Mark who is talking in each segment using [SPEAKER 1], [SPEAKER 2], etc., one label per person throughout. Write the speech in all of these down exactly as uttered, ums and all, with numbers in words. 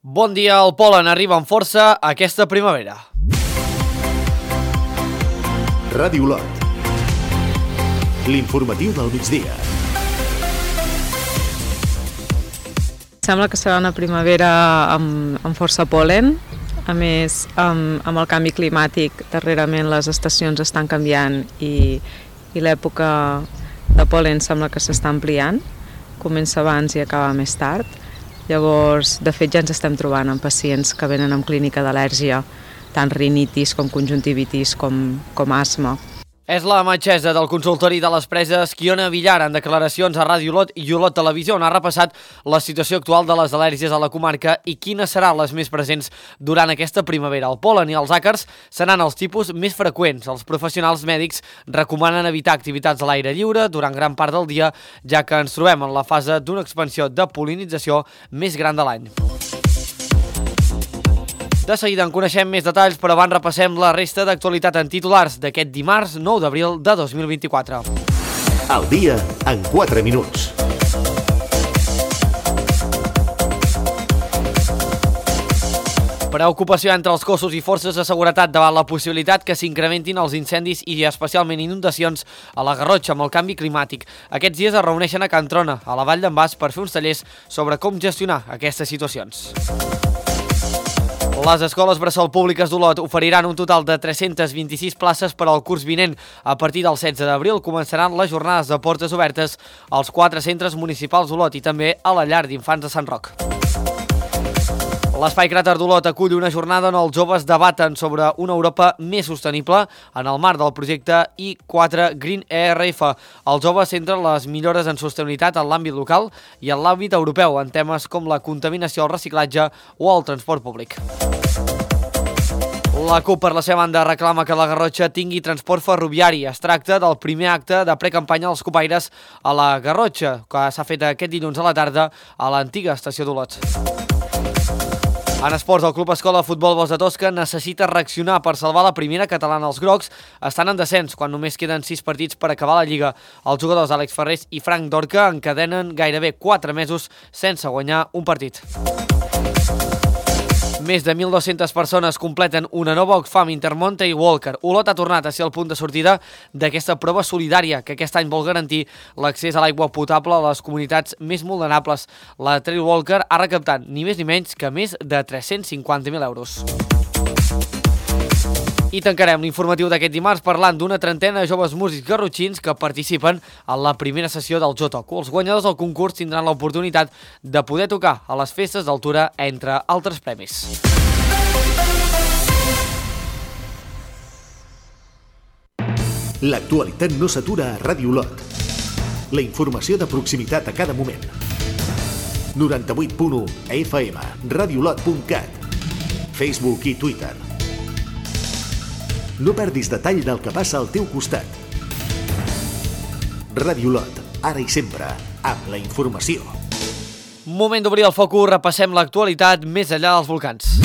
[SPEAKER 1] Bon dia, el pol·len arriba amb força aquesta primavera.
[SPEAKER 2] Ràdio Olot. L'informatiu del migdia.
[SPEAKER 3] Sembla que serà una primavera amb, amb força pol·len. A més, amb, amb el canvi climàtic, darrerament les estacions estan canviant i, i l'època de pol·len sembla que s'està ampliant. Comença abans i acaba més tard. Llavors, de fet, ja ens estem trobant amb pacients que venen amb clínica d'al·lèrgia, tant rinitis com conjuntivitis com, com asma.
[SPEAKER 1] És la metgessa del consultori de les Preses, Quiona Villar, en declaracions a Ràdio Olot i Olot Televisió, on ha repassat la situació actual de les al·lèrgies a la comarca i quines seran les més presents durant aquesta primavera. El pol·len i els àcars seran els tipus més freqüents. Els professionals mèdics recomanen evitar activitats a l'aire lliure durant gran part del dia, ja que ens trobem en la fase d'una expansió de pol·linització més gran de l'any. De seguida en coneixem més detalls, però abans repassem la resta d'actualitat en titulars d'aquest dimarts nou d'abril de dos mil vint-i-quatre.
[SPEAKER 2] El dia en quatre minuts.
[SPEAKER 1] Preocupació entre els cossos i forces de seguretat davant la possibilitat que s'incrementin els incendis i especialment inundacions a la Garrotxa amb el canvi climàtic. Aquests dies es reuneixen a Can Trona, a la Vall d'en Bas, per fer uns tallers sobre com gestionar aquestes situacions. Les escoles bressol públiques d'Olot oferiran un total de tres-centes vint-i-sis places per al curs vinent. A partir del setze d'abril començaran les jornades de portes obertes als quatre centres municipals d'Olot i també a la llar d'infants de Sant Roc. L'Espai Cràter d'Olot acull una jornada on els joves debaten sobre una Europa més sostenible en el marc del projecte I quatre Green E R F. Els joves centren les millores en sostenibilitat en l'àmbit local i en l'àmbit europeu en temes com la contaminació, el reciclatge o el transport públic. La CUP, per la seva banda, reclama que la Garrotxa tingui transport ferroviari. Es tracta del primer acte de precampanya dels copaires a la Garrotxa, que s'ha fet aquest dilluns a la tarda a l'antiga estació d'Olot. En esports, el Club Escola Futbol Bosc de Tosca necessita reaccionar per salvar la primera catalana. Els grocs estan en descens quan només queden sis partits per acabar la Lliga. Els jugadors Àlex Ferrés i Frank Dorca encadenen gairebé quatre mesos sense guanyar un partit. Més de mil dues-centes persones completen una nova Oxfam Intermountain Walker. Olot ha tornat a ser el punt de sortida d'aquesta prova solidària que aquest any vol garantir l'accés a l'aigua potable a les comunitats més vulnerables. La Trail Walker ha recaptat ni més ni menys que més de tres-cents cinquanta mil euros. I tancarem l'informatiu d'aquest dimarts parlant d'una trentena de joves músics garrotxins que participen en la primera sessió del Jo Toco. Els guanyadors del concurs tindran l'oportunitat de poder tocar a les festes d'altura, entre altres premis.
[SPEAKER 2] L'actualitat no s'atura a Ràdio Olot. La informació de proximitat a cada moment. noranta-vuit punt u F M, radiolot punt cat, Facebook i Twitter. No perdis detall del que passa al teu costat. Ràdio Olot, ara i sempre, amb la informació.
[SPEAKER 1] Moment d'obrir el focus, repassem l'actualitat més enllà dels volcans.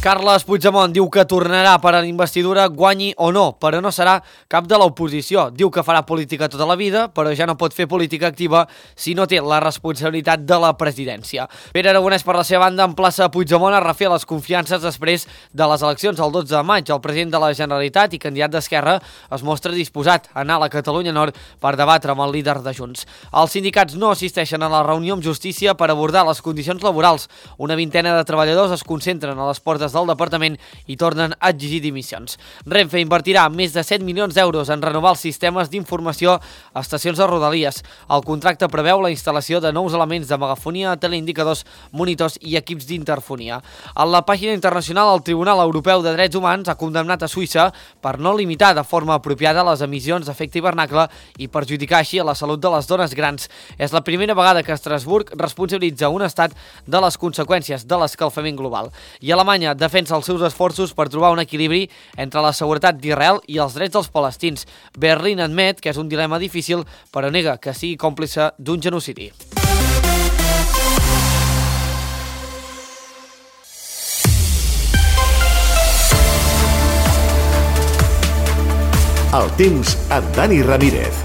[SPEAKER 1] Carles Puigdemont diu que tornarà per a la investidura, guanyi o no, però no serà cap de l'oposició. Diu que farà política tota la vida, però ja no pot fer política activa si no té la responsabilitat de la presidència. Pere Aragonès, per la seva banda, emplaça Puigdemont a refer les confiances després de les eleccions el dotze de maig. El president de la Generalitat i candidat d'Esquerra es mostra disposat a anar a la Catalunya Nord per debatre amb el líder de Junts. Els sindicats no assisteixen a la reunió amb Justícia per abordar les condicions laborals. Una vintena de treballadors es concentren a les portes del departament i tornen a exigir dimissions. Renfe invertirà més de set milions d'euros en renovar els sistemes d'informació a estacions de Rodalies. El contracte preveu la instal·lació de nous elements de megafonia, teleindicadors, monitors i equips d'interfonia. En la pàgina internacional, el Tribunal Europeu de Drets Humans ha condemnat a Suïssa per no limitar de forma apropiada les emissions d'efecte hivernacle i perjudicar així a la salut de les dones grans. És la primera vegada que Estrasburg responsabilitza un estat de les conseqüències de l'escalfament global. I Alemanya defensa els seus esforços per trobar un equilibri entre la seguretat d'Israel i els drets dels palestins. Berlín admet que és un dilema difícil, però nega que sigui còmplice d'un genocidi.
[SPEAKER 2] El temps amb Dani Ramírez.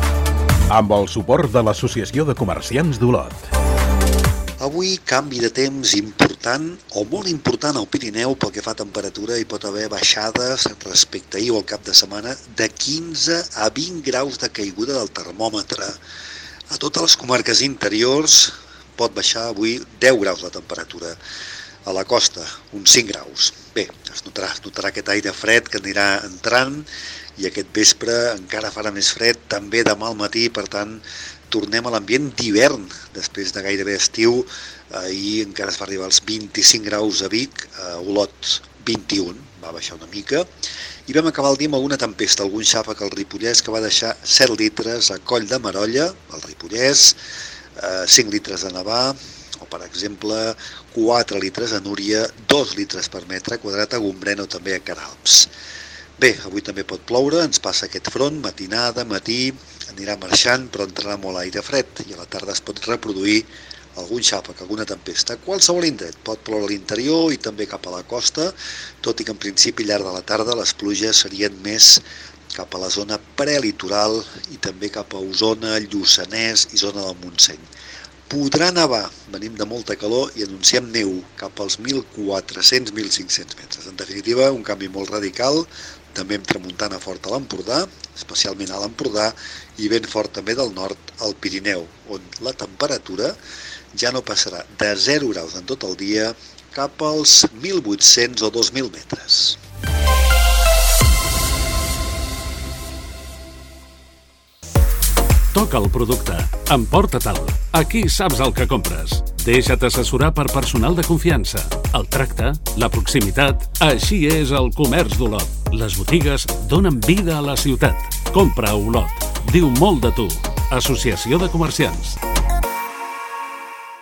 [SPEAKER 4] Amb el suport de l'Associació de Comerciants d'Olot.
[SPEAKER 5] Avui canvi de temps important o molt important al Pirineu pel que fa a temperatura. Hi pot haver baixades respecte a ahir o al cap de setmana de quinze a vint graus de caiguda del termòmetre. A totes les comarques interiors pot baixar avui deu graus la temperatura. A la costa, uns cinc graus. Bé, es notarà, es notarà aquest aire fred que anirà entrant i aquest vespre encara farà més fred, també demà al matí, per tant, tornem a l'ambient d'hivern després de gairebé estiu. Ahir encara es va arribar als vint-i-cinc graus a Vic, a Olot vint-i-un, va baixar una mica, i vam acabar el dia amb alguna tempesta, algun xàfec al Ripollès que va deixar set litres a Coll de Merolla, al Ripollès, cinc litres a Navà, o per exemple quatre litres a Núria, dos litres per metre quadrat a Gombrèn o també a Queralbs. Bé, avui també pot ploure, ens passa aquest front, matinada, matí, anirà marxant, però entrarà molt aire fred i a la tarda es pot reproduir algun xàfec, alguna tempesta. A qualsevol indret pot ploure a l'interior i també cap a la costa, tot i que en principi al llarg de la tarda les pluges serien més cap a la zona prelitoral i també cap a Osona, Lluçanès i zona del Montseny. Podrà nevar, venim de molta calor i anunciem neu cap als mil quatre-cents a mil cinc-cents metres. En definitiva, un canvi molt radical, també amb tramuntana forta a l'Empordà, especialment a l'Empordà, i vent fort també del nord al Pirineu, on la temperatura ja no passarà de zero graus en tot el dia cap als mil vuit-cents o dos mil metres.
[SPEAKER 6] Toca el producte, emporta-te'l. Aquí saps el que compres. Deixa't assessorar per personal de confiança. El tracte, la proximitat, així és el comerç d'Olot. Les botigues donen vida a la ciutat. Compra a Olot. Diu molt de tu. Associació de Comerciants.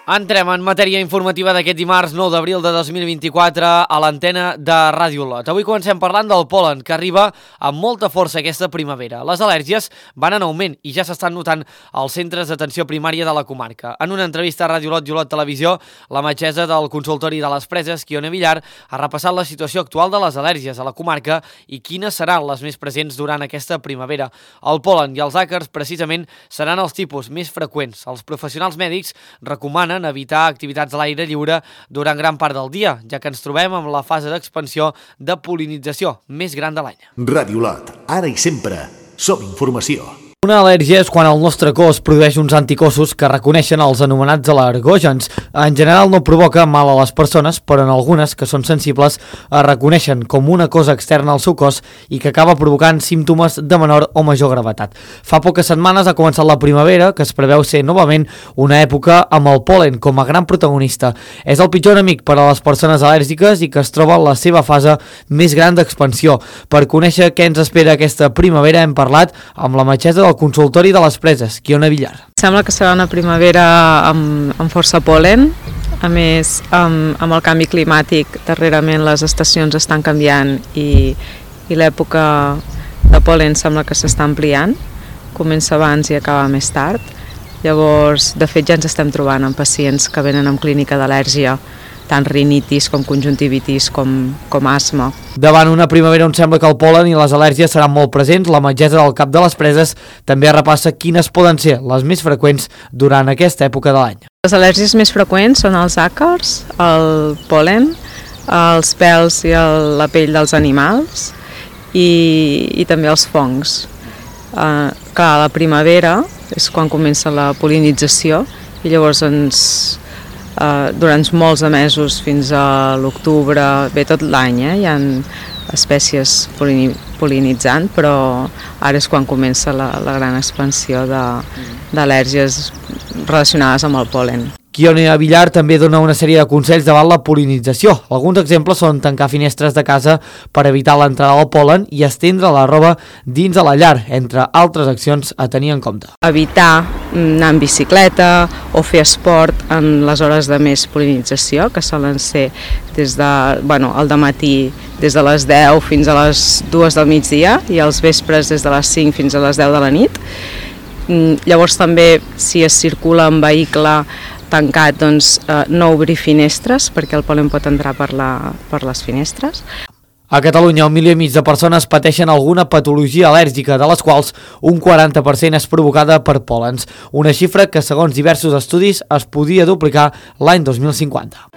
[SPEAKER 1] Entrem en matèria informativa d'aquest dimarts nou d'abril de dos mil vint-i-quatre a l'antena de Ràdio Olot. Avui comencem parlant del pol·len, que arriba amb molta força aquesta primavera. Les al·lèrgies van en augment i ja s'estan notant als centres d'atenció primària de la comarca. En una entrevista a Ràdio Olot i Olot Televisió, la metgessa del consultori de les Preses, Quione Villar, ha repassat la situació actual de les al·lèrgies a la comarca i quines seran les més presents durant aquesta primavera. El pol·len i els àcars, precisament, seran els tipus més freqüents. Els professionals mèdics recomanen evitar activitats a l'aire lliure durant gran part del dia, ja que ens trobem amb la fase d'expansió de pol·linització més gran de l'any.
[SPEAKER 2] Ràdio Olot, ara i sempre, som informació.
[SPEAKER 1] Una al·lèrgia és quan el nostre cos produeix uns anticossos que reconeixen els anomenats al·lergògens. En general no provoca mal a les persones, però en algunes, que són sensibles, es reconeixen com una cosa externa al seu cos i que acaba provocant símptomes de menor o major gravetat. Fa poques setmanes ha començat la primavera, que es preveu ser novament una època amb el pol·len com a gran protagonista. És el pitjor enemic per a les persones al·lèrgiques i que es troba en la seva fase més gran d'expansió. Per conèixer què ens espera aquesta primavera hem parlat amb la metgessa del consultori de les Preses, Quione Villar.
[SPEAKER 3] Sembla que serà una primavera amb, amb força pol·len. A més, amb, amb el canvi climàtic, darrerament les estacions estan canviant i, i l'època de pol·len sembla que s'està ampliant. Comença abans i acaba més tard. Llavors, de fet, ja ens estem trobant amb pacients que venen amb clínica d'al·lèrgia, tant rinitis com conjuntivitis com, com asma.
[SPEAKER 1] Davant una primavera on sembla que el pol·len i les al·lèrgies seran molt presents, la metgessa del Cap de les Preses també repassa quines poden ser les més freqüents durant aquesta època de l'any.
[SPEAKER 3] Les al·lèrgies més freqüents són els àcars, el pol·len, els pèls i el, la pell dels animals i, i també els fongs. Uh, clar, la primavera és quan comença la pol·linització i llavors ens... Uh, durant molts de mesos fins a l'octubre, bé tot l'any, eh? Hi ha espècies pol·linitzant, però ara és quan comença la, la gran expansió d'al·lèrgies relacionades amb el pol·len.
[SPEAKER 1] Quione Villar també dona una sèrie de consells davant la pol·linització. Alguns exemples són tancar finestres de casa per evitar l'entrada del pol·len i estendre la roba dins de la llar, entre altres accions a tenir en compte.
[SPEAKER 3] Evitar anar en bicicleta o fer esport en les hores de més pol·linització, que solen ser des de, bueno, al dematí des de les deu fins a les dues del migdia i als vespres des de les cinc fins a les deu de la nit. Llavors també, si es circula en vehicle tancat, doncs, eh, no obrir finestres perquè el pol·len pot entrar per, la, per les finestres.
[SPEAKER 1] A Catalunya, un milió i mig de persones pateixen alguna patologia al·lèrgica, de les quals un quaranta per cent és provocada per pòlens, una xifra que, segons diversos estudis, es podria duplicar l'any dos mil cinquanta.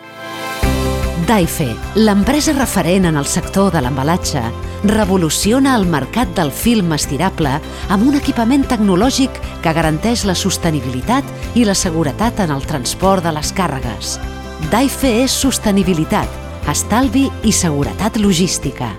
[SPEAKER 7] Daife, l'empresa referent en el sector de l'embalatge, revoluciona el mercat del film estirable amb un equipament tecnològic que garanteix la sostenibilitat i la seguretat en el transport de les càrregues. Daife és sostenibilitat, estalvi i seguretat logística.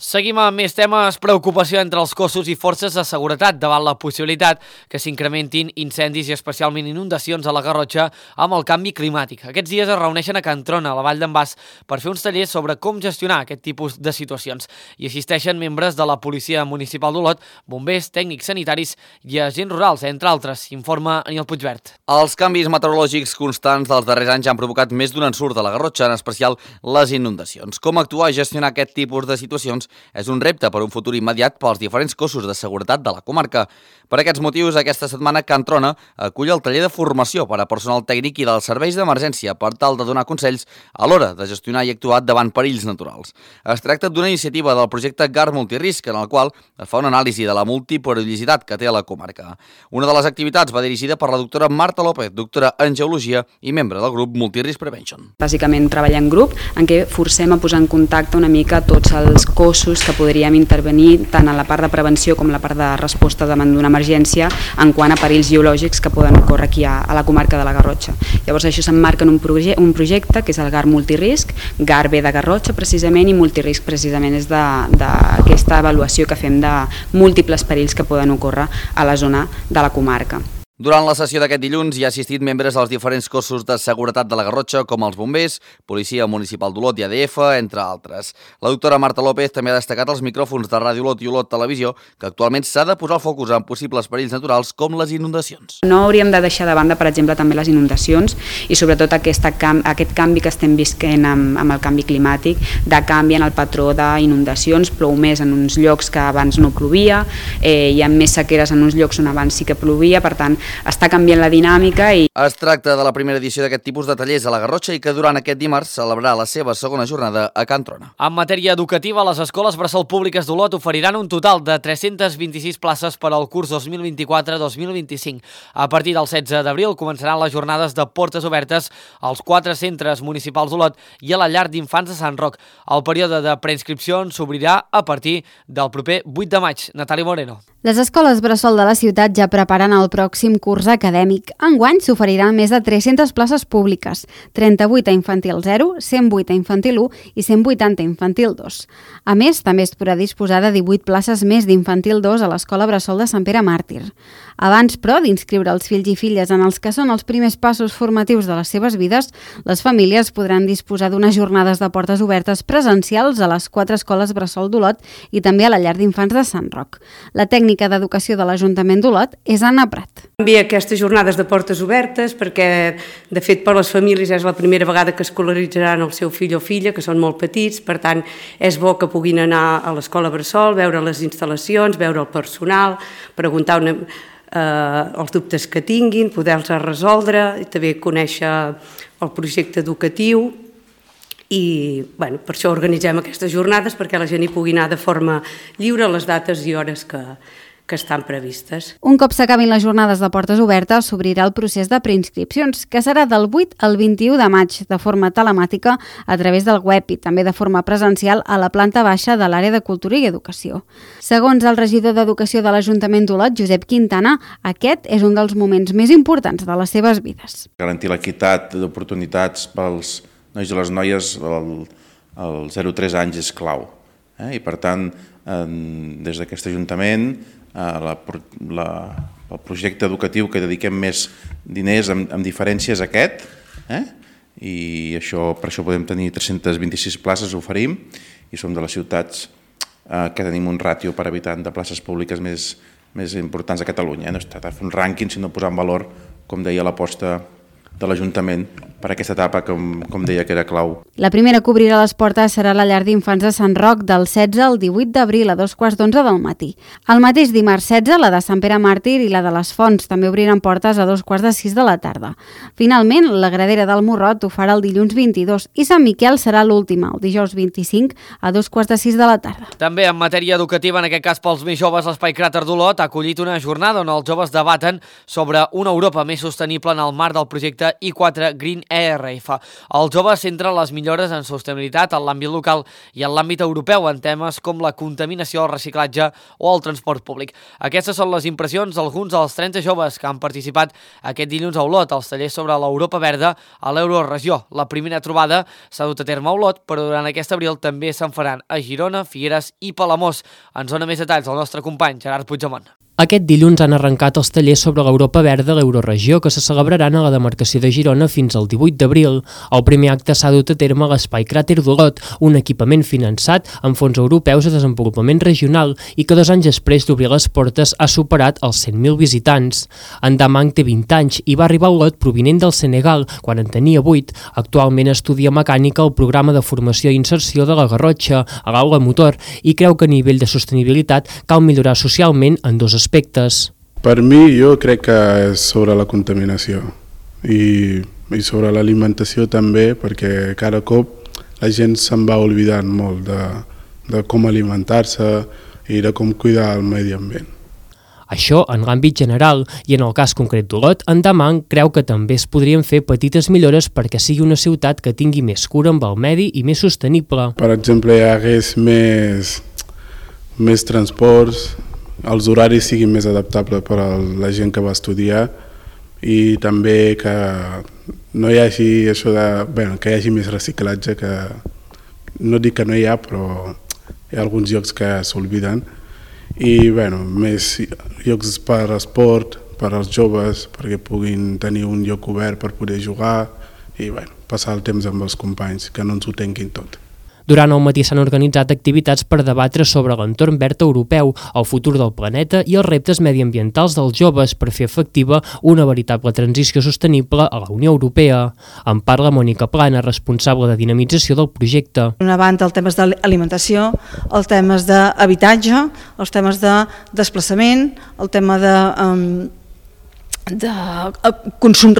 [SPEAKER 1] Seguim amb més temes. Preocupació entre els cossos i forces de seguretat davant la possibilitat que s'incrementin incendis i especialment inundacions a la Garrotxa amb el canvi climàtic. Aquests dies es reuneixen a Can Trona, a la Vall d'en Bas, per fer uns tallers sobre com gestionar aquest tipus de situacions. Hi assisteixen membres de la Policia Municipal d'Olot, bombers, tècnics sanitaris i agents rurals, entre altres, informa Aniel Puigvert.
[SPEAKER 8] Els canvis meteorològics constants dels darrers anys han provocat més d'un ensurt a la Garrotxa, en especial les inundacions. Com actuar i gestionar aquest tipus de situacions és un repte per un futur immediat pels diferents cossos de seguretat de la comarca. Per aquests motius, aquesta setmana Can Trona acull el taller de formació per a personal tècnic i dels serveis d'emergència per tal de donar consells a l'hora de gestionar i actuar davant perills naturals. Es tracta d'una iniciativa del projecte G A R Multirisc, en el qual es fa una anàlisi de la multiperillositat que té a la comarca. Una de les activitats va dirigida per la doctora Marta López, doctora en Geologia i membre del grup Multirisc Prevention.
[SPEAKER 9] Bàsicament treballar en grup en què forcem a posar en contacte una mica tots els cossos que podríem intervenir tant en la part de prevenció com la part de resposta davant d'una emergència en quant a perills geològics que poden ocórrer aquí a, a la comarca de la Garrotxa. Llavors això s'emmarca en un, proje un projecte que és el G A R Multirisc, G A R ve de Garrotxa precisament i Multirisc precisament és d'aquesta avaluació que fem de múltiples perills que poden ocórrer a la zona de la comarca.
[SPEAKER 8] Durant la sessió d'aquest dilluns hi ha assistit membres dels diferents cossos de seguretat de la Garrotxa, com els bombers, Policia Municipal d'Olot i A D F, entre altres. La doctora Marta López també ha destacat els micròfons de Ràdio Olot i Olot Televisió, que actualment s'ha de posar el focus en possibles perills naturals com les inundacions.
[SPEAKER 9] No hauríem de deixar de banda, per exemple, també les inundacions i sobretot aquesta, aquest canvi que estem visquent amb, amb el canvi climàtic, de canvi en el patró d'inundacions, plou més en uns llocs que abans no plovia, eh, hi ha més sequeres en uns llocs on abans sí que plovia, per tant, està canviant la dinàmica. I
[SPEAKER 8] Es tracta de la primera edició d'aquest tipus de tallers a la Garrotxa i que durant aquest dimarts celebrarà la seva segona jornada a Can Trona.
[SPEAKER 1] En matèria educativa, les escoles bressol públiques d'Olot oferiran un total de tres-centes vint-i-sis places per al curs dos mil vint-i-quatre dos mil vint-i-cinc. A partir del setze d'abril començaran les jornades de portes obertes als quatre centres municipals d'Olot i a la llar d'infants de Sant Roc. El període de preinscripcions s'obrirà a partir del proper vuit de maig. Natàlia Moreno.
[SPEAKER 10] Les escoles bressol de la ciutat ja preparen el pròxim curs acadèmic. Enguany s'oferiran més de tres-centes places públiques, trenta-vuit a infantil zero, cent vuit a infantil u i cent vuitanta a infantil dos. A més, també es podrà disposar de divuit places més d'infantil dos a l'escola bressol de Sant Pere Màrtir. Abans, però, d'inscriure els fills i filles en els que són els primers passos formatius de les seves vides, les famílies podran disposar d'unes jornades de portes obertes presencials a les quatre escoles bressol d'Olot i també a la llar d'infants de Sant Roc. La tècnica d'educació de l'Ajuntament d'Olot és Anna Prat.
[SPEAKER 11] Envia aquestes jornades de portes obertes perquè, de fet, per les famílies és la primera vegada que escolaritzaran el seu fill o filla, que són molt petits, per tant, és bo que puguin anar a l'escola bressol, veure les instal·lacions, veure el personal, preguntar una, eh, els dubtes que tinguin, poder-los resoldre, i també conèixer el projecte educatiu. I bueno, per això organitzem aquestes jornades, perquè la gent hi pugui anar de forma lliure a les dates i hores que, que estan previstes.
[SPEAKER 10] Un cop s'acabin les jornades de portes obertes, s'obrirà el procés de preinscripcions, que serà del vuit al vint-i-u de maig, de forma telemàtica a través del web i també de forma presencial a la planta baixa de l'àrea de Cultura i Educació. Segons el regidor d'Educació de l'Ajuntament d'Olot, Josep Quintana, aquest és un dels moments més importants de les seves vides.
[SPEAKER 12] Garantir l'equitat d'oportunitats pels nois i les noies als zero a tres anys és clau. Eh? I per tant, eh, des d'aquest Ajuntament, eh, la, la, el projecte educatiu que dediquem més diners amb, amb diferència és aquest, eh? I això, per això podem tenir tres-centes vint-i-sis places, oferim, i som de les ciutats eh, que tenim un ràtio per habitant de places públiques més, més importants a Catalunya. No es tracta de fer un rànquing, sinó posar en valor, com deia, l'aposta de l'Ajuntament per aquesta etapa, com, com deia, que era clau.
[SPEAKER 10] La primera que obrirà les portes serà la llar d'infants de Sant Roc del setze al divuit d'abril a dos quarts d'onze del matí. El mateix dimarts setze, la de Sant Pere Màrtir i la de les Fonts també obriran portes a dos quarts de sis de la tarda. Finalment, la Gradera del Morrot ho farà el dilluns vint-i-dos i Sant Miquel serà l'última, el dijous vint-i-cinc a dos quarts de sis de la tarda.
[SPEAKER 1] També en matèria educativa, en aquest cas pels més joves, l'Espai Cràter d'Olot ha acollit una jornada on els joves debaten sobre una Europa més sostenible en el marc del projecte I quatre Green E R F. Els joves centren les millores en sostenibilitat en l'àmbit local i en l'àmbit europeu en temes com la contaminació, el reciclatge o el transport públic. Aquestes són les impressions d'alguns dels trenta joves que han participat aquest dilluns a Olot als tallers sobre l'Europa Verda a l'Euroregió. La primera trobada s'ha dut a terme a Olot, però durant aquest abril també se'n faran a Girona, Figueres i Palamós. Ens dona més detalls el nostre company Gerard Puigdemont.
[SPEAKER 13] Aquest dilluns han arrencat els tallers sobre l'Europa Verda a l'Euroregió que se celebraran a la demarcació de Girona fins al divuit d'abril. El primer acte s'ha dut a terme a l'Espai Cràter d'Olot, un equipament finançat amb fons europeus de desenvolupament regional i que dos anys després d'obrir les portes ha superat els cent mil visitants. En Damang té vint anys i va arribar a Olot provinent del Senegal quan en tenia vuit. Actualment estudia mecànica al programa de formació i inserció de la Garrotxa, a l'Aula Motor, i creu que a nivell de sostenibilitat cal millorar socialment en dos aspectes.
[SPEAKER 14] Per mi, jo crec que és sobre la contaminació i, i sobre l'alimentació també, perquè cada cop la gent se'n va oblidant molt de, de com alimentar-se i de com cuidar el medi ambient.
[SPEAKER 13] Això en l'àmbit general i en el cas concret d'Olot, en Damang creu que també es podrien fer petites millores perquè sigui una ciutat que tingui més cura amb el medi i més sostenible.
[SPEAKER 14] Per exemple, hi hagués més, més transports, els horaris siguin més adaptables per a la gent que va estudiar i també que no hi hagi això de, bueno, que hi hagi més reciclatge, que no dic que no hi ha, però hi ha alguns llocs que s'obliden i bueno, més llocs per esport, per als joves, perquè puguin tenir un lloc obert per poder jugar i bueno, passar el temps amb els companys, que no ens ho tenguin tot.
[SPEAKER 13] Durant el matí s'han organitzat activitats per debatre sobre l'entorn verd europeu, el futur del planeta i els reptes mediambientals dels joves per fer efectiva una veritable transició sostenible a la Unió Europea. En parla Mònica Plana, responsable de dinamització del projecte.
[SPEAKER 15] D'una banda, els temes d'alimentació, els temes d'habitatge, els temes de desplaçament, el tema de... Um, de consum,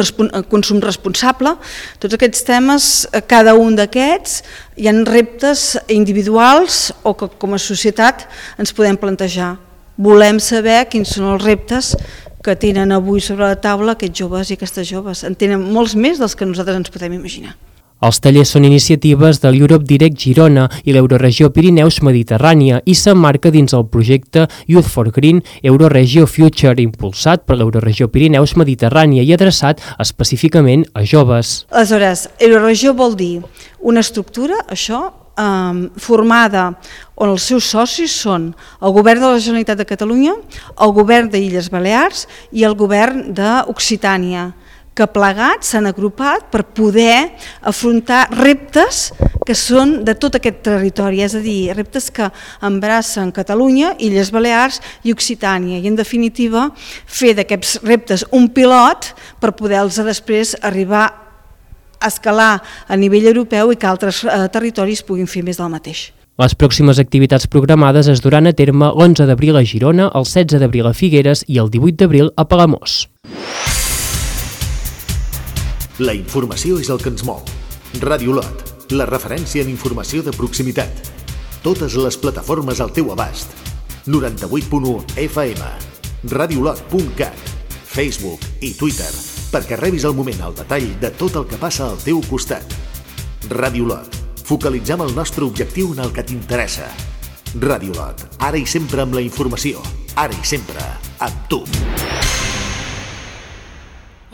[SPEAKER 15] consum responsable, tots aquests temes, cada un d'aquests hi ha reptes individuals o que com a societat ens podem plantejar. Volem saber quins són els reptes que tenen avui sobre la taula aquests joves i aquestes joves. En tenen molts més dels que nosaltres ens podem imaginar.
[SPEAKER 13] Els tallers són iniciatives de l'Europe Direct Girona i l'Euroregió Pirineus Mediterrània i s'emmarca dins el projecte Youth for Green Euroregio Future, impulsat per l'Euroregió Pirineus Mediterrània i adreçat específicament a joves.
[SPEAKER 15] Aleshores, Euroregió vol dir una estructura, això, eh, formada on els seus socis són el govern de la Generalitat de Catalunya, el govern d'Illes Balears i el govern d'Occitània, que plegats s'han agrupat per poder afrontar reptes que són de tot aquest territori, és a dir, reptes que embracen Catalunya, Illes Balears i Occitània, i en definitiva fer d'aquests reptes un pilot per poder-los després arribar a escalar a nivell europeu i que altres eh, territoris puguin fer més del mateix.
[SPEAKER 13] Les pròximes activitats programades es duran a terme l'onze d'abril a Girona, el setze d'abril a Figueres i el divuit d'abril a Palamós.
[SPEAKER 2] La informació és el que ens mou. Ràdio Olot, la referència en informació de proximitat. Totes les plataformes al teu abast. noranta-vuit punt u F M, radiolot punt cat, Facebook i Twitter, perquè rebis al moment el detall de tot el que passa al teu costat. Ràdio Olot, focalitzem el nostre objectiu en el que t'interessa. Ràdio Olot, ara i sempre amb la informació, ara i sempre amb tu.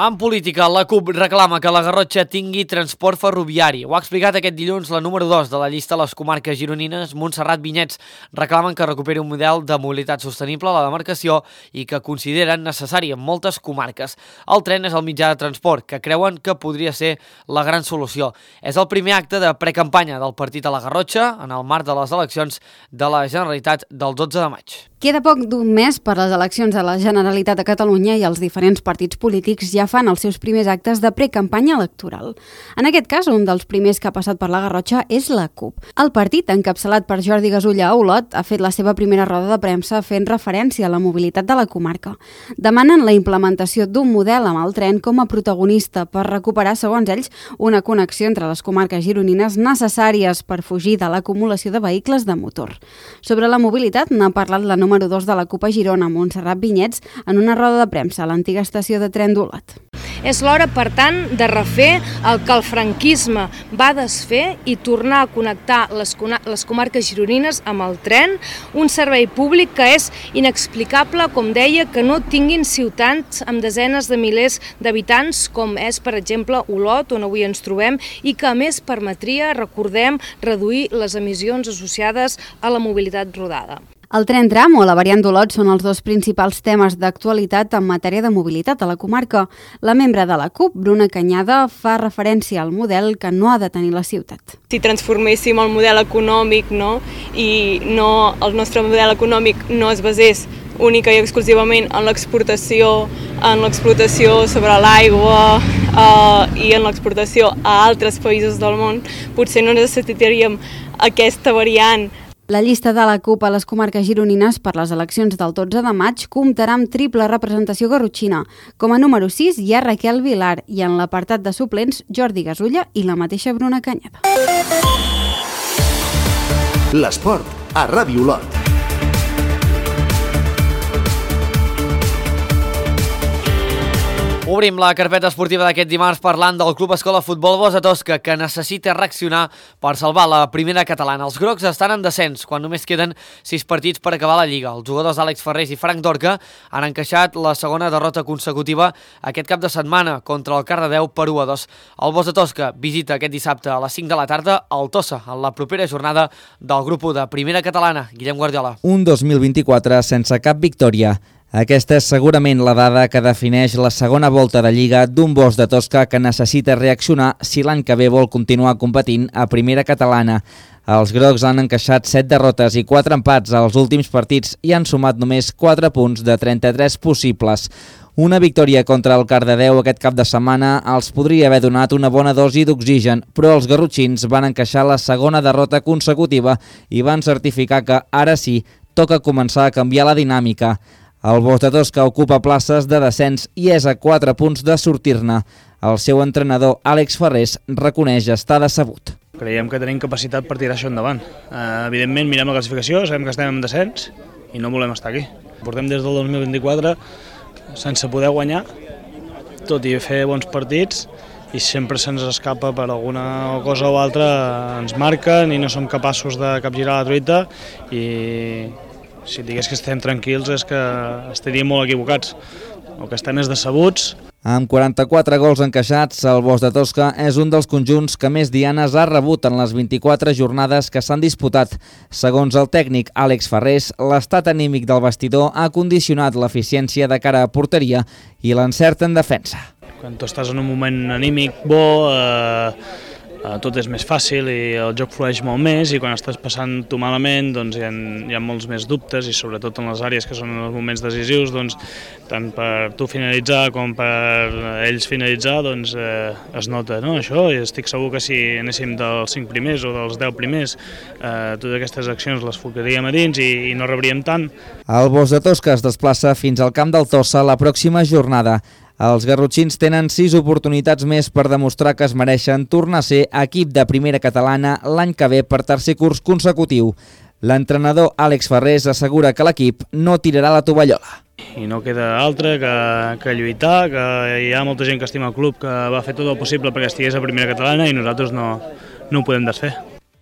[SPEAKER 1] En política, la CUP reclama que la Garrotxa tingui transport ferroviari. Ho ha explicat aquest dilluns la número dos de la llista de les comarques gironines, Montserrat Vinyets. Reclamen que recuperi un model de mobilitat sostenible a la demarcació i que consideren necessari en moltes comarques. El tren és el mitjà de transport que creuen que podria ser la gran solució. És el primer acte de precampanya del partit a la Garrotxa en el marc de les eleccions de la Generalitat del dotze de maig.
[SPEAKER 10] Queda poc d'un mes per les eleccions a la Generalitat de Catalunya i els diferents partits polítics ja fan els seus primers actes de precampanya electoral. En aquest cas, un dels primers que ha passat per la Garrotxa és la CUP. El partit, encapçalat per Jordi Gasulla a Olot, ha fet la seva primera roda de premsa fent referència a la mobilitat de la comarca. Demanen la implementació d'un model amb el tren com a protagonista per recuperar, segons ells, una connexió entre les comarques gironines necessàries per fugir de l'acumulació de vehicles de motor. Sobre la mobilitat n'ha parlat la número dos de la CUP a Girona, Montserrat Vinyets, en una roda de premsa a l'antiga estació de tren d'Olot.
[SPEAKER 16] És l'hora, per tant, de refer el que el franquisme va desfer i tornar a connectar les, les comarques gironines amb el tren, un servei públic que és inexplicable, com deia, que no tinguin ciutats amb desenes de milers d'habitants, com és, per exemple, Olot, on avui ens trobem, i que a més permetria, recordem, reduir les emissions associades a la mobilitat rodada.
[SPEAKER 10] El tren tram o la variant d'Olot són els dos principals temes d'actualitat en matèria de mobilitat a la comarca. La membre de la CUP, Bruna Canyada, fa referència al model que no ha de tenir la ciutat.
[SPEAKER 17] Si transforméssim el model econòmic, no? I no, el nostre model econòmic no es basés única i exclusivament en l'exportació, en l'explotació sobre l'aigua eh, i en l'exportació a altres països del món, potser no necessitaríem aquesta variant.
[SPEAKER 10] La llista de la CUP a les comarques gironines per les eleccions del dotze de maig comptarà amb triple representació garrotxina. Com a número sis hi ha Raquel Vilar i en l'apartat de suplents Jordi Gasulla i la mateixa Bruna Canyada.
[SPEAKER 2] L'esport a Ràdio Olot.
[SPEAKER 1] Obrim la carpeta esportiva d'aquest dimarts parlant del Club Escola Futbol Bosch de Tosca, que necessita reaccionar per salvar la primera catalana. Els grocs estan en descens, quan només queden sis partits per acabar la Lliga. Els jugadors Àlex Ferrés i Frank Dorca han encaixat la segona derrota consecutiva aquest cap de setmana contra el Cardedeu per u a dos. El Bosch de Tosca visita aquest dissabte a les cinc de la tarda al Tossa, en la propera jornada del grup u de primera catalana. Guillem Guardiola.
[SPEAKER 18] Un dos mil vint-i-quatre sense cap victòria. Aquesta és segurament la dada que defineix la segona volta de Lliga d'un Bosch de Tosca que necessita reaccionar si l'any que ve vol continuar competint a primera catalana. Els grocs han encaixat set derrotes i quatre empats als últims partits i han sumat només quatre punts de trenta-tres possibles. Una victòria contra el Cardedeu aquest cap de setmana els podria haver donat una bona dosi d'oxigen, però els garrotxins van encaixar la segona derrota consecutiva i van certificar que, ara sí, toca començar a canviar la dinàmica. El Bosch de Tosca ocupa places de descens i és a quatre punts de sortir-ne. El seu entrenador, Àlex Ferrés, reconeix estar decebut.
[SPEAKER 19] Creiem que tenim capacitat per tirar això endavant. Uh, evidentment, mirem la classificació, sabem que estem en descens i no volem estar aquí. Portem des del dos mil vint-i-quatre sense poder guanyar, tot i fer bons partits, i sempre se'ns escapa per alguna cosa o altra, ens marquen i no som capaços de capgirar la truita i si digués que estem tranquils és que estaríem molt equivocats. El que estem és decebuts.
[SPEAKER 18] Amb quaranta-quatre gols encaixats, el Bosch de Tosca és un dels conjunts que més dianes ha rebut en les vint-i-quatre jornades que s'han disputat. Segons el tècnic Àlex Ferrés, l'estat anímic del vestidor ha condicionat l'eficiència de cara a porteria i l'encert en defensa.
[SPEAKER 19] Quan tu estàs en un moment anímic bo, eh, tot és més fàcil i el joc flueix molt més, i quan estàs passant-ho malament doncs hi ha, hi ha molts més dubtes, i sobretot en les àrees que són els moments decisius, doncs, tant per tu finalitzar com per ells finalitzar, doncs, eh, es nota, no? Això, i estic segur que si anéssim dels cinc primers o dels deu primers, eh, totes aquestes accions les focaríem a dins i, i no rebríem tant.
[SPEAKER 18] El Bosch de Tosca es desplaça fins al camp del Tossa la pròxima jornada. Els garrotxins tenen sis oportunitats més per demostrar que es mereixen tornar a ser equip de primera catalana l'any que ve per tercer curs consecutiu. L'entrenador Àlex Ferrés assegura que l'equip no tirarà la tovallola.
[SPEAKER 19] I no queda altre que, que lluitar, que hi ha molta gent que estima el club, que va fer tot el possible perquè estigués a primera catalana i nosaltres no, no ho podem desfer.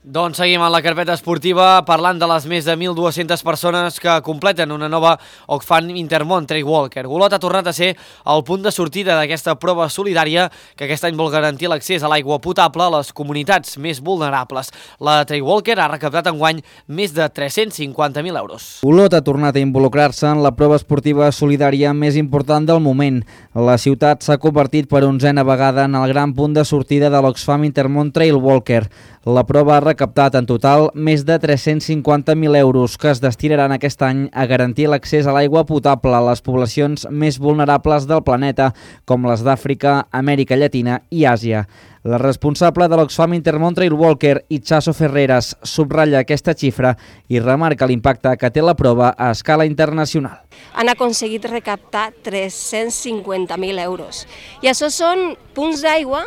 [SPEAKER 1] Doncs seguim en la carpeta esportiva parlant de les més de mil dues-centes persones que completen una nova Oxfam Intermón Trail Walker. Olot ha tornat a ser el punt de sortida d'aquesta prova solidària que aquest any vol garantir l'accés a l'aigua potable a les comunitats més vulnerables. La Trail Walker ha recaptat enguany més de tres-cents cinquanta mil euros.
[SPEAKER 18] Olot ha tornat a involucrar-se en la prova esportiva solidària més important del moment. La ciutat s'ha convertit per onzena vegada en el gran punt de sortida de l'Oxfam Intermón Trail Walker. La prova ha recaptat en total més de tres-cents cinquanta mil euros que es destinaran aquest any a garantir l'accés a l'aigua potable a les poblacions més vulnerables del planeta, com les d'Àfrica, Amèrica Llatina i Àsia. La responsable de l'Oxfam Intermón Trail Walker, Itxaso Ferreras, subratlla aquesta xifra i remarca l'impacte que té la prova a escala internacional.
[SPEAKER 20] Han aconseguit recaptar tres-cents cinquanta mil euros i això són punts d'aigua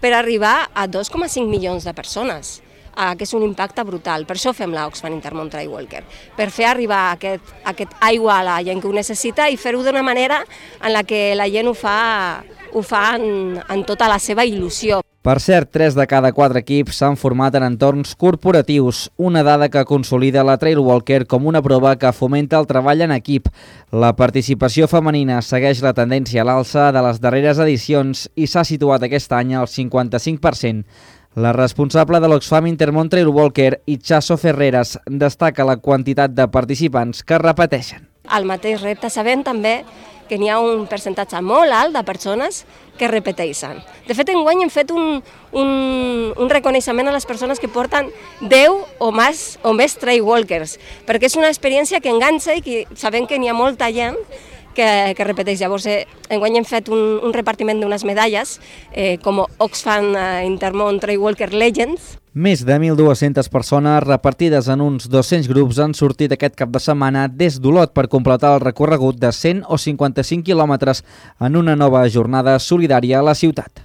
[SPEAKER 20] per arribar a dos coma cinc milions de persones, que és un impacte brutal. Per això fem l'Oxfam Intermón Trail Walker, per fer arribar aquest, aquest aigua a la gent que ho necessita i fer-ho d'una manera en la que la gent ho fa, ho fa en, en tota la seva il·lusió.
[SPEAKER 18] Per cert, tres de cada quatre equips s'han format en entorns corporatius, una dada que consolida la Trail Walker com una prova que fomenta el treball en equip. La participació femenina segueix la tendència a l'alça de les darreres edicions i s'ha situat aquest any al cinquanta-cinc per cent. La responsable de l'Oxfam Intermón Trail Walker, Itxaso Ferreras, destaca la quantitat de participants que repeteixen.
[SPEAKER 20] Al mateix repte sabem també que n'hi ha un percentatge molt alt de persones que repeteixen. De fet, enguany hem fet un, un, un reconeixement a les persones que porten deu o més, o més trail walkers, perquè és una experiència que enganxa i que sabem que n'hi ha molta gent que, que repeteix. Llavors, eh, enguany hem fet un, un repartiment d'unes medalles eh, com Oxfam Intermón Trail Walker Legends.
[SPEAKER 18] Més de mil dues-centes persones repartides en uns dos-cents grups han sortit aquest cap de setmana des d'Olot per completar el recorregut de cent o cinquanta-cinc quilòmetres en una nova jornada solidària a la ciutat.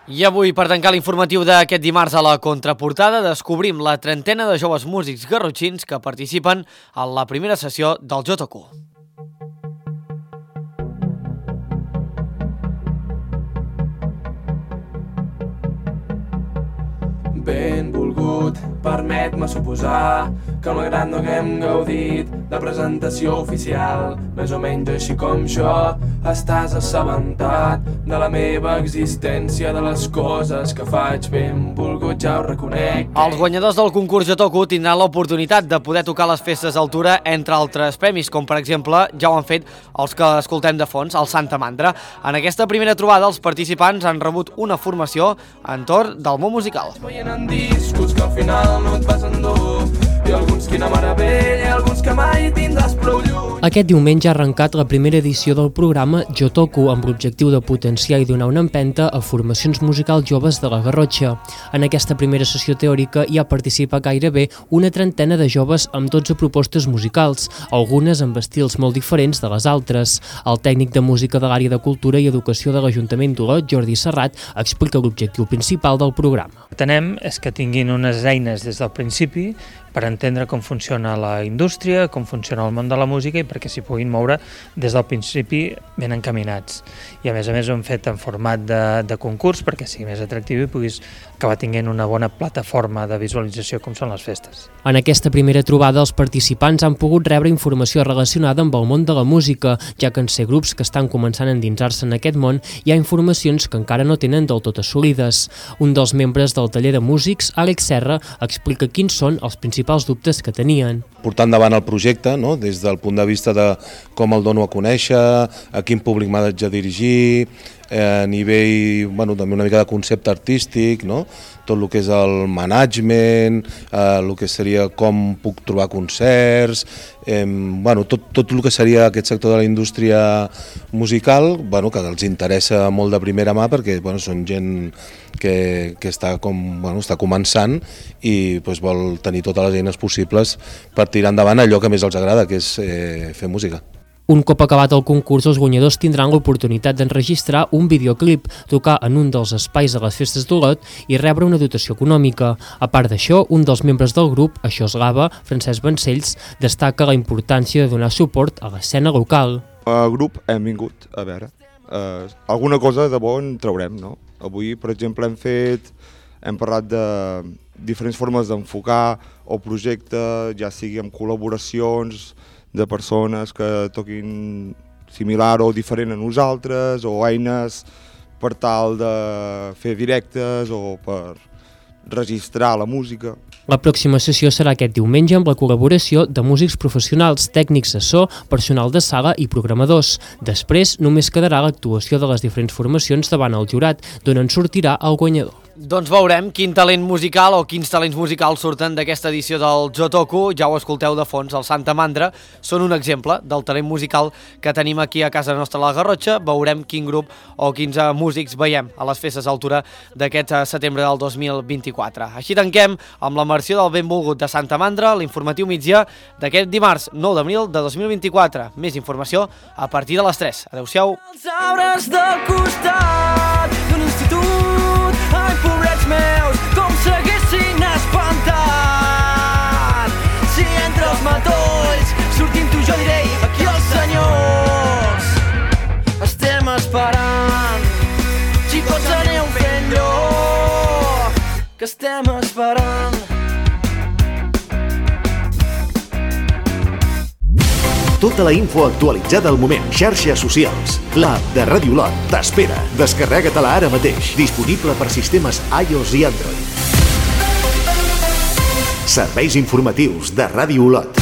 [SPEAKER 1] I avui, per tancar l'informatiu d'aquest dimarts a la contraportada, descobrim la trentena de joves músics garrotxins que participen en la primera sessió del J Q.
[SPEAKER 21] Benvolgut, permet-me suposar que malgrat no haguem gaudit de presentació oficial, més o menys així com jo, estàs assabentat de la meva existència, de les coses que faig. Benvolgut, ja ho reconec.
[SPEAKER 1] Els guanyadors del concurs J Q tindran l'oportunitat de poder tocar les festes d'altura, entre altres premis, com per exemple ja ho han fet els que escoltem de fons, el Santa Mandra. En aquesta primera trobada, els participants han rebut una formació entorn del món musical.
[SPEAKER 21] En discos que al final no et vas endur, i alguns quina meravella, alguns que mai tindràs prou lluny.
[SPEAKER 13] Aquest diumenge ha arrencat la primera edició del programa J Q amb l'objectiu de potenciar i donar una empenta a formacions musicals joves de la Garrotxa. En aquesta primera sessió teòrica hi ha participat gairebé una trentena de joves amb dotze propostes musicals, algunes amb estils molt diferents de les altres. El tècnic de música de l'àrea de Cultura i Educació de l'Ajuntament d'Olot, Jordi Serrat, explica l'objectiu principal del programa.
[SPEAKER 22] Tenem és que tinguin unes eines des del principi per entendre com funciona la indústria, com funciona el món de la música i perquè s'hi puguin moure des del principi ben encaminats. I a més a més ho hem fet en format de, de concurs perquè sigui més atractiu i puguis acabar tinguent una bona plataforma de visualització com són les festes.
[SPEAKER 13] En aquesta primera trobada els participants han pogut rebre informació relacionada amb el món de la música, ja que en ser grups que estan començant a endinsar-se en aquest món hi ha informacions que encara no tenen del tot assolides. Un dels membres del taller de músics, Àlex Serra, explica quins són els principals dubtes que tenien.
[SPEAKER 23] Portar endavant el projecte, no? Des del punt de vista de com el dono a conèixer, a quin públic m'ha de dirigir, a nivell, bueno, també una mica de concepte artístic, no? Tot el que és el management, eh, el que seria com puc trobar concerts, eh, bueno, tot, tot el que seria aquest sector de la indústria musical, bueno, que els interessa molt de primera mà perquè bueno, són gent que, que està, com, bueno, està començant i pues, vol tenir totes les eines possibles per tirar endavant allò que més els agrada, que és eh, fer música.
[SPEAKER 13] Un cop acabat el concurs, els guanyadors tindran l'oportunitat d'enregistrar un videoclip, tocar en un dels espais de les festes d'Olot i rebre una dotació econòmica. A part d'això, un dels membres del grup, Això és Lava, Francesc Vancells, destaca la importància de donar suport a l'escena local.
[SPEAKER 24] El grup hem vingut a veure, eh, alguna cosa de bo en traurem, no? Avui, per exemple, hem fet, hem parlat de diferents formes d'enfocar el projecte, ja sigui amb col·laboracions, de persones que toquin similar o diferent a nosaltres, o eines per tal de fer directes o per registrar la música.
[SPEAKER 13] La pròxima sessió serà aquest diumenge amb la col·laboració de músics professionals, tècnics de so, personal de sala i programadors. Després només quedarà l'actuació de les diferents formacions davant el jurat, d'on en sortirà el guanyador.
[SPEAKER 1] Doncs veurem quin talent musical o quins talents musicals surten d'aquesta edició del Jotoku. Ja ho escolteu de fons, el Santa Mandra són un exemple del talent musical que tenim aquí a casa nostra a la Garrotxa. Veurem quin grup o quins músics veiem a les festes d'altura d'aquest setembre del dos mil vint-i-quatre. Així tanquem amb la versió del benvolgut de Santa Mandra, l'informatiu migdia d'aquest dimarts nou d'abril de dos mil vint-i-quatre. Més informació a partir de les tres. Adéu-siau.
[SPEAKER 3] Els arbres del costat d'un institut, ai, pobrets meus, com s'haguessin espantat. Si entre els matolls sortim tu, jo diré, aquí els senyors estem esperant. Xicots, aneu fent-lo, que estem esperant.
[SPEAKER 2] Tota la info actualitzada al moment. Xarxes socials. L'app de Ràdio Olot t'espera. Descarrega-te-la ara mateix. Disponible per sistemes iOS i Android. Serveis informatius de Ràdio Olot.